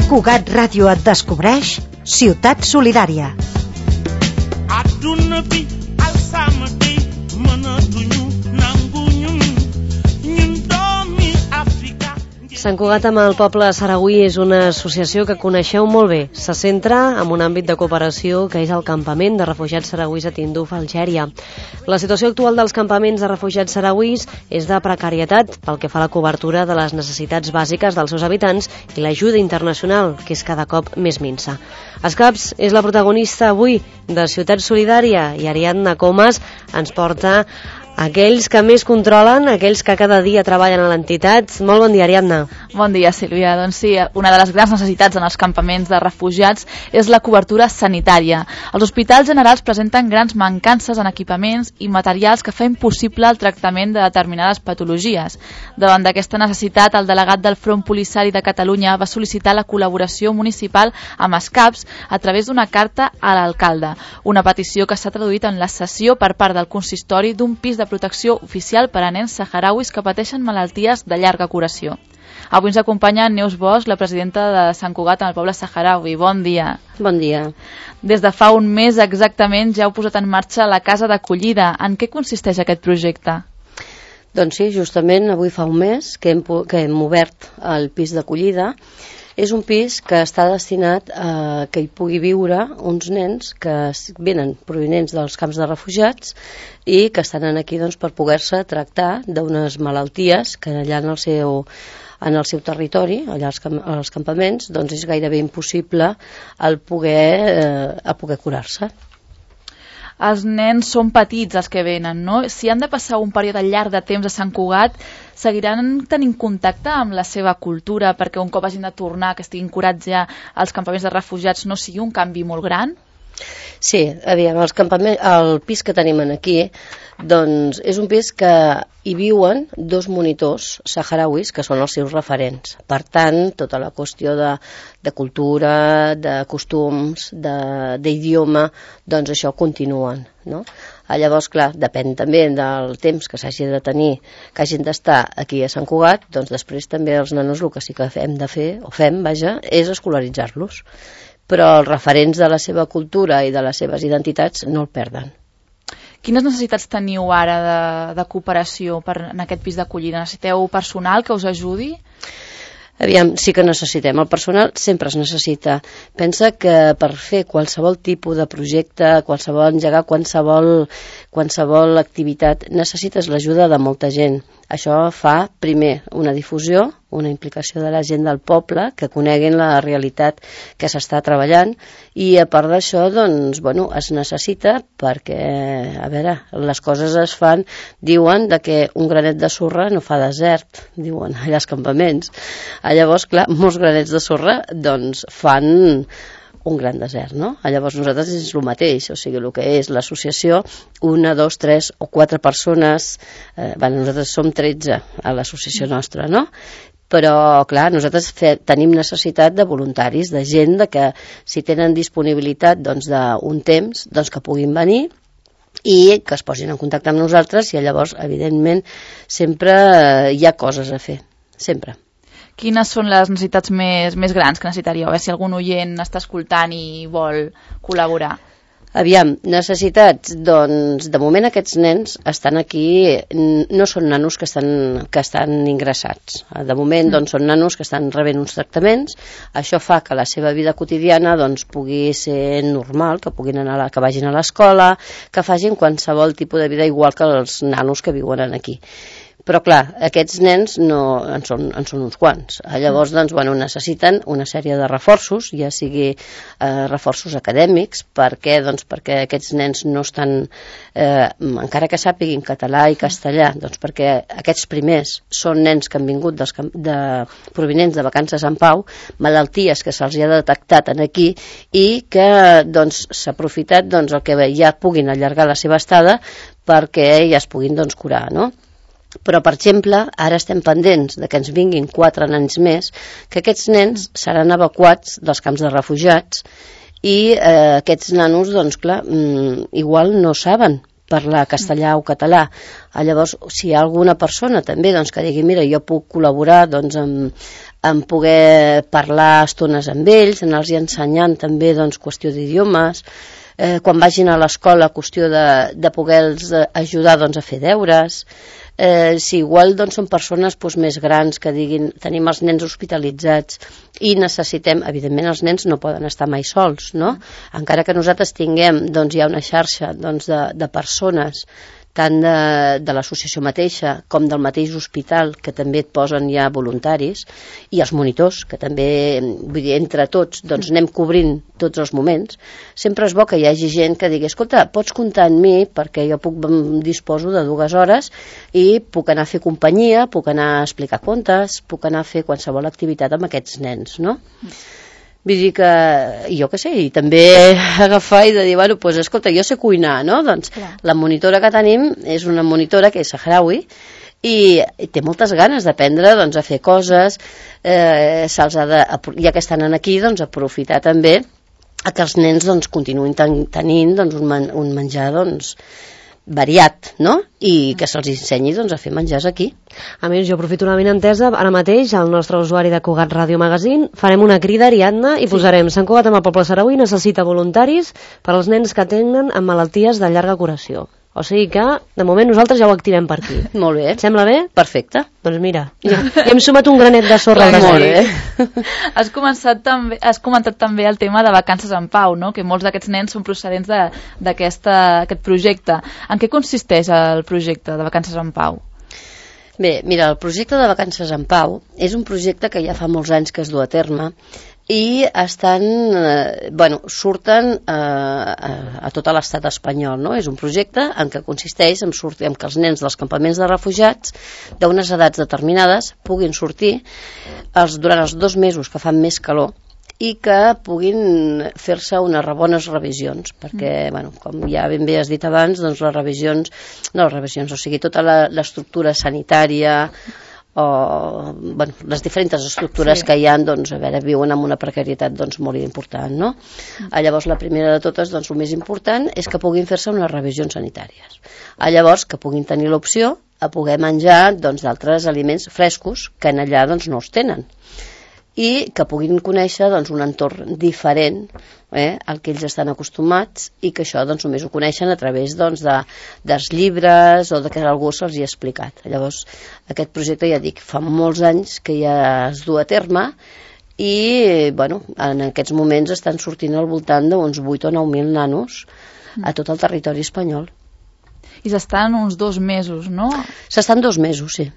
Cugat Ràdio et descobreix Ciutat Solidària. Àdduna bi alsama bi mënatuñu nangu ñun doomi Afrika. Sant Cugat amb el poble saragüí és una associació que coneixeu molt bé. Se centra en un àmbit de cooperació que és el campament de refugiats saragüís a Tinduf, Algèria. La situació actual dels campaments de refugiats saragüís és de precarietat pel que fa a la cobertura de les necessitats bàsiques dels seus habitants i l'ajuda internacional, que és cada cop més minsa. Escaps és la protagonista avui de Ciutat Solidària i Ariadna Comas ens porta aquells que més controlen, aquells que cada dia treballen a l'entitat. Molt bon dia, Ariadna. Bon dia, Sílvia. Doncs sí, una de les grans necessitats en els campaments de refugiats és la cobertura sanitària. Els hospitals generals presenten grans mancances en equipaments i materials que fa impossible el tractament de determinades patologies. Davant d'aquesta necessitat, el delegat del Front Polisari de Catalunya va sol·licitar la col·laboració municipal amb Escaps a través d'una carta a l'alcalde, una petició que s'ha traduït en la cessió per part del consistori d'un pis de protecció oficial per a nens saharauis que pateixen malalties de llarga curació. Avui ens acompanya Neus Bosch, la presidenta de Sant Cugat en el poble saharaui. Bon dia. Bon dia. Des de fa un mes exactament ja heu posat en marxa la casa d'acollida. En què consisteix aquest projecte? Doncs sí, justament avui fa un mes que hem obert el pis d'acollida. És un pis que està destinat a que hi pugui viure uns nens que venen provinents dels camps de refugiats i que estan aquí doncs, per poder-se tractar d'unes malalties que allà en el seu territori, allà als campaments, doncs és gairebé impossible el poder curar-se. Els nens són petits els que venen, no? Si han de passar un període llarg de temps a Sant Cugat, seguiran tenint contacte amb la seva cultura perquè un cop hagin de tornar, que estiguin curats ja als campaments de refugiats, no sigui un canvi molt gran? Sí, aviam, el pis que tenim aquí doncs és un pis que hi viuen 2 monitors saharauis que són els seus referents. Per tant, tota la qüestió de cultura, de costums, d'idioma, doncs això continuen, no? Llavors, clar, depèn també del temps que s'hagi de tenir, que hagin d'estar aquí a Sant Cugat, doncs després també els nanos el que sí que hem de fer, és escolaritzar-los. Però els referents de la seva cultura i de les seves identitats no el perden. Quines necessitats teniu ara de cooperació en aquest pis d'acollida? Necessiteu personal que us ajudi? Aviam, sí que necessitem. El personal sempre es necessita. Pensa que per fer qualsevol tipus de projecte, engegar qualsevol activitat, necessites l'ajuda de molta gent. Això fa, primer, una difusió, una implicació de la gent del poble, que coneguin la realitat que s'està treballant, i a part d'això, doncs, es necessita perquè, a veure, les coses es fan, diuen que un granet de sorra no fa desert, diuen allà als campaments. Llavors, clar, molts granets de sorra, doncs, fan un gran desert, no? Llavors nosaltres és el mateix, o sigui, el que és l'associació, 1, 2, 3 o 4 persones, nosaltres som 13 a l'associació nostra, no? Però, clar, nosaltres tenim necessitat de voluntaris, de gent que si tenen disponibilitat d'un temps, doncs que puguin venir i que es posin en contacte amb nosaltres i llavors, evidentment, sempre hi ha coses a fer, sempre. Quines són les necessitats més grans que necessitaríeu? A veure si algun oient està escoltant i vol col·laborar. Aviam, necessitats, doncs, de moment aquests nens estan aquí, no són nanos que estan ingressats. De moment, doncs, són nanos que estan rebent uns tractaments, això fa que la seva vida quotidiana, doncs, pugui ser normal, que vagin a l'escola, que facin qualsevol tipus de vida igual que els nanos que viuen aquí. Però, clar, aquests nens en són uns quants. Llavors, doncs, necessiten una sèrie de reforços, ja sigui reforços acadèmics, perquè aquests nens no estan, encara que sàpiguin català i castellà, doncs perquè aquests primers són nens que han vingut provinents de vacances en Pau, malalties que se'ls ha detectat aquí i que s'ha aprofitat el que ja puguin allargar la seva estada perquè ja es puguin curar, no? Però, per exemple, ara estem pendents que ens vinguin 4 nens més, que aquests nens seran evacuats dels camps de refugiats i aquests nanos, doncs clar, igual no saben parlar castellà o català. Llavors, si hi ha alguna persona també que digui, mira, jo puc col·laborar amb en poder parlar estones amb ells, anar-los ensenyant també doncs, qüestió d'idiomes, quan vagin a l'escola, qüestió de poder-los ajudar doncs, a fer deures. Si igual doncs, són persones doncs, més grans que diguin tenim els nens hospitalitzats i necessitem, evidentment els nens no poden estar mai sols, no? Encara que nosaltres tinguem, doncs hi ha una xarxa doncs, de persones tant de l'associació mateixa com del mateix hospital, que també et posen ja voluntaris, i els monitors, que també, vull dir, entre tots, doncs anem cobrint tots els moments. Sempre és bo que hi hagi gent que digui, escolta, pots comptar en mi, perquè jo disposo de 2 hores i puc anar a fer companyia, puc anar a explicar contes, puc anar a fer qualsevol activitat amb aquests nens, no? Vull dir que, jo què sé, i també agafar i de dir, bueno, doncs escolta, jo sé cuinar, no? Doncs la monitora que tenim és una monitora que és saharaui i té moltes ganes d'aprendre doncs, a fer coses, se'ls ha de, ja que estan aquí, doncs aprofitar també a que els nens doncs, continuïn tenint doncs, un menjar doncs, variat, no? I que se'ls ensenyi doncs, a fer menjars aquí. A més, jo aprofito una benentesa, ara mateix el nostre usuari de Cugat Ràdio Magazine farem una crida, Ariadna, i posarem Sant Cugat amb el poble saragüí necessita voluntaris per als nens que tenen amb malalties de llarga curació. O sigui que, de moment, nosaltres ja ho activem per aquí. Molt bé. Et sembla bé? Perfecte. Doncs mira, ja hem sumat un granet de sorra. Molt bé. Has comentat també el tema de Vacances en Pau, no? Que molts d'aquests nens són procedents d'aquest projecte. En què consisteix el projecte de Vacances en Pau? Bé, mira, el projecte de Vacances en Pau és un projecte que ja fa molts anys que es du a terme i surten a tot l'estat espanyol, no? És un projecte en què consisteix en que els nens dels campaments de refugiats d'unes edats determinades puguin sortir durant els 2 mesos que fan més calor i que puguin fer-se unes bones revisions, perquè, com ja ben bé has dit abans, doncs o sigui, tota l'estructura sanitària o les diferents estructures que hi ha, doncs, viuen amb una precarietat doncs, molt important, no? Llavors, la primera de totes, doncs, el més important és que puguin fer-se unes revisions sanitàries. Llavors, que puguin tenir l'opció a poder menjar doncs, d'altres aliments frescos que en allà doncs, no els tenen i que puguin conèixer doncs, un entorn diferent al que ells estan acostumats i que això doncs, només ho coneixen a través doncs, dels llibres o que algú se'ls hi ha explicat. Llavors, aquest projecte, ja dic, fa molts anys que ja es du a terme i en aquests moments estan sortint al voltant d'uns 8 o 9.000 nanos a tot el territori espanyol. I s'estan uns 2 mesos, no? S'estan 2 mesos, sí.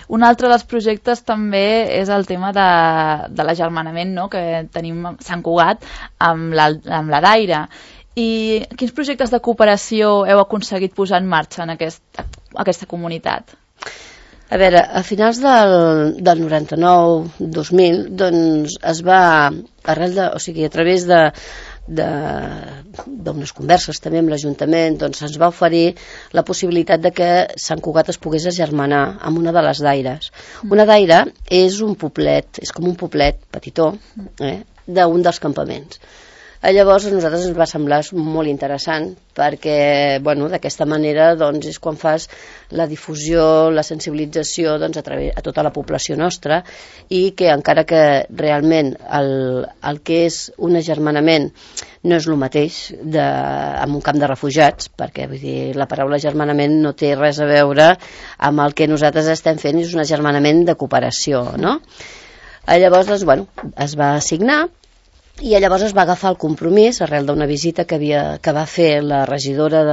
Un altre dels projectes també és el tema de l'agermanament, no? Que tenim a Sant Cugat amb la Daire. I quins projectes de cooperació heu aconseguit posar en marxa en aquesta comunitat? A veure, a finals del 99-2000 doncs es va, a través d'unes converses també amb l'Ajuntament, doncs ens va oferir la possibilitat de que Sant Cugat es pogués agermanar amb una de les daires. Una daira és un poblet, és com un poblet petitó d'un dels campaments. Llavors a nosaltres ens va semblar molt interessant perquè d'aquesta manera doncs, és quan fas la difusió, la sensibilització doncs, a tota la població nostra i que encara que realment el que és un agermanament no és el mateix en un camp de refugiats, perquè vull dir, la paraula agermanament no té res a veure amb el que nosaltres estem fent, és un agermanament de cooperació, no? Llavors doncs, es va assignar i llavors es va agafar el compromís arrel d'una visita que va fer la regidora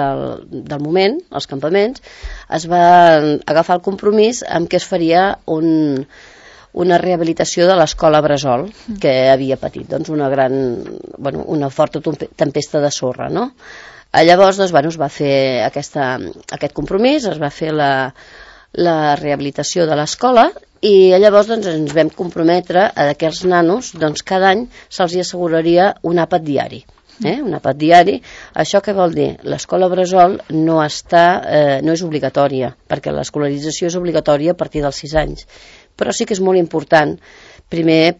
del moment als campaments. Es va agafar el compromís amb que es faria una rehabilitació de l'escola Bressol que havia patit doncs, una forta tempesta de sorra, no? Llavors doncs, es va fer aquest compromís, es va fer la rehabilitació de l'escola i llavors doncs, ens vam comprometre a que els nanos doncs, cada any se'ls asseguraria un àpat diari. Un àpat diari. Això què vol dir? L'escola Bressol no és obligatòria, perquè l'escolarització és obligatòria a partir dels 6 anys, però sí que és molt important, primer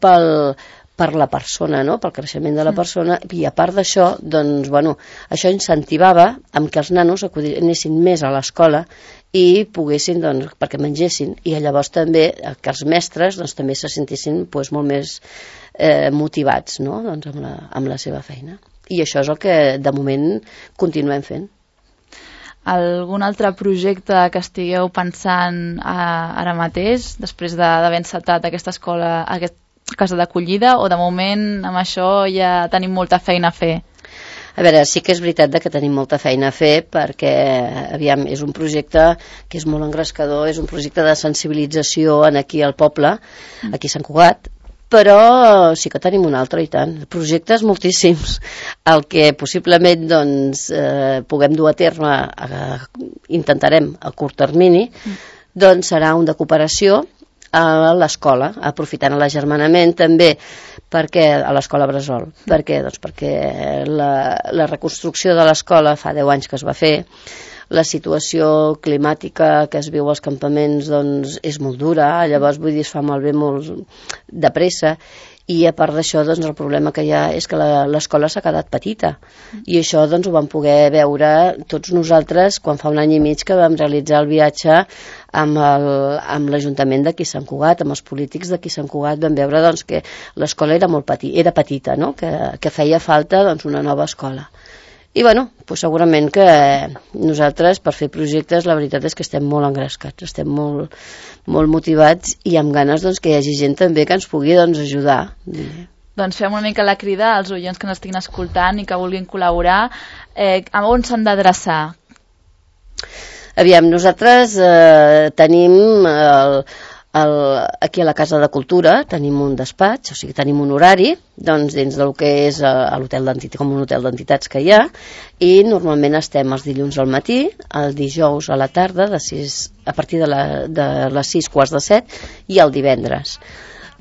per la persona, no? Pel creixement de la persona, i a part d'això, doncs, bueno, això incentivava amb que els nanos anessin més a l'escola i poguessin, doncs, perquè mengessin, i llavors també que els mestres doncs, també se sentissin doncs, molt més motivats, no? Doncs, amb la seva feina. I això és el que de moment continuem fent. Algun altre projecte que estigueu pensant ara mateix, després d'haver encetat aquesta escola, aquesta casa d'acollida, o de moment amb això ja tenim molta feina a fer? A veure, sí que és veritat que tenim molta feina a fer perquè, aviam, és un projecte que és molt engrescador, és un projecte de sensibilització aquí al poble, aquí a Sant Cugat, però sí que tenim un altre i tant, projectes moltíssims. El que possiblement doncs, puguem dur a terme, intentarem a curt termini, doncs serà un de cooperació a l'escola, aprofitant l'agermanament també perquè a l'escola Bressol. Per què? Doncs perquè la reconstrucció de l'escola fa 10 anys que es va fer, la situació climàtica que es viu als campaments doncs, és molt dura, llavors vull dir, es fa malbé molt de pressa, i a part d'això doncs, el problema que hi ha és que l'escola s'ha quedat petita, i això doncs, ho vam poder veure tots nosaltres quan fa un any i mig que vam realitzar el viatge amb l'Ajuntament d'aquí Sant Cugat, amb els polítics d'aquí Sant Cugat, vam veure doncs, que l'escola era petita, no? que feia falta doncs, una nova escola. I bueno, doncs segurament que nosaltres per fer projectes la veritat és que estem molt engrescats, estem molt, molt motivats i amb ganes doncs, que hi hagi gent també que ens pugui doncs, ajudar. Doncs fem una mica la crida als oients que ens estiguin escoltant i que vulguin col·laborar. A on s'han d'adreçar? Aviam, nosaltres tenim aquí a la Casa de Cultura tenim un despatx, o sigui, tenim un horari doncs, dins del que és l'hotel d'entitats, com un hotel d'entitats que hi ha, i normalment estem els dilluns al matí, el dijous a la tarda, a partir de les 6:45, i el divendres.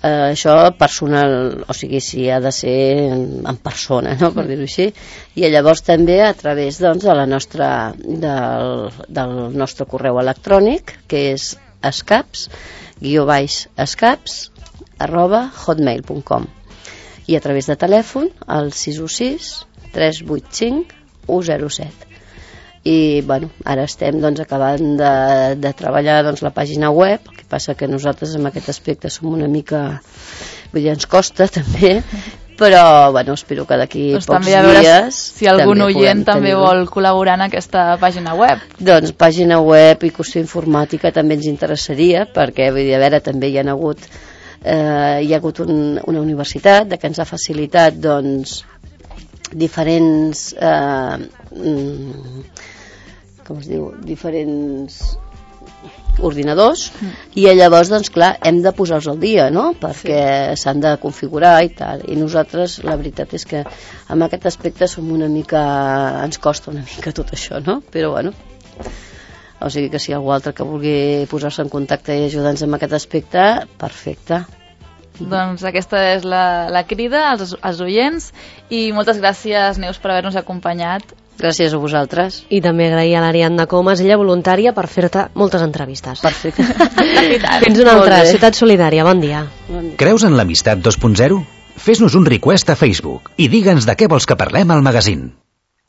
Això personal, o sigui, si ha de ser en persona, no? Per dir-ho així, i llavors també a través doncs, del nostre correu electrònic, que és escaps@hotmail.com, i a través de telèfon al 616 385 107. I bueno, ara estem doncs, acabant de treballar doncs, la pàgina web, el que passa que nosaltres en aquest aspecte som una mica, vull dir, ens costa també, però bueno, espero que d'aquí doncs pocs dies si algun oient també vol col·laborar en aquesta pàgina web. Doncs pàgina web i qüestió informàtica també ens interessaria, perquè vull dir, a veure, també hi ha hagut una universitat que ens ha facilitat doncs, diferents com es diu, diferents ordinadors, i llavors doncs clar, hem de posar-los al dia, no? Perquè s'han de configurar i tal, i nosaltres la veritat és que en aquest aspecte som una mica, ens costa una mica tot això, no? Però bueno, o sigui que si algú altre que vulgui posar-se en contacte i ajudar-nos en aquest aspecte, perfecte. Doncs aquesta és la crida als oients, i moltes gràcies, Neus, per haver-nos acompanyat. Gràcies a vosaltres. I també agrair a l'Ariadna Comas, ella voluntària, per fer-te moltes entrevistes. Perfecte. Fins una altra, Ciutat Solidària, bon dia. Creus en l'amistat 2.0? Fes-nos un request a Facebook i digue'ns de què vols que parlem al magazín.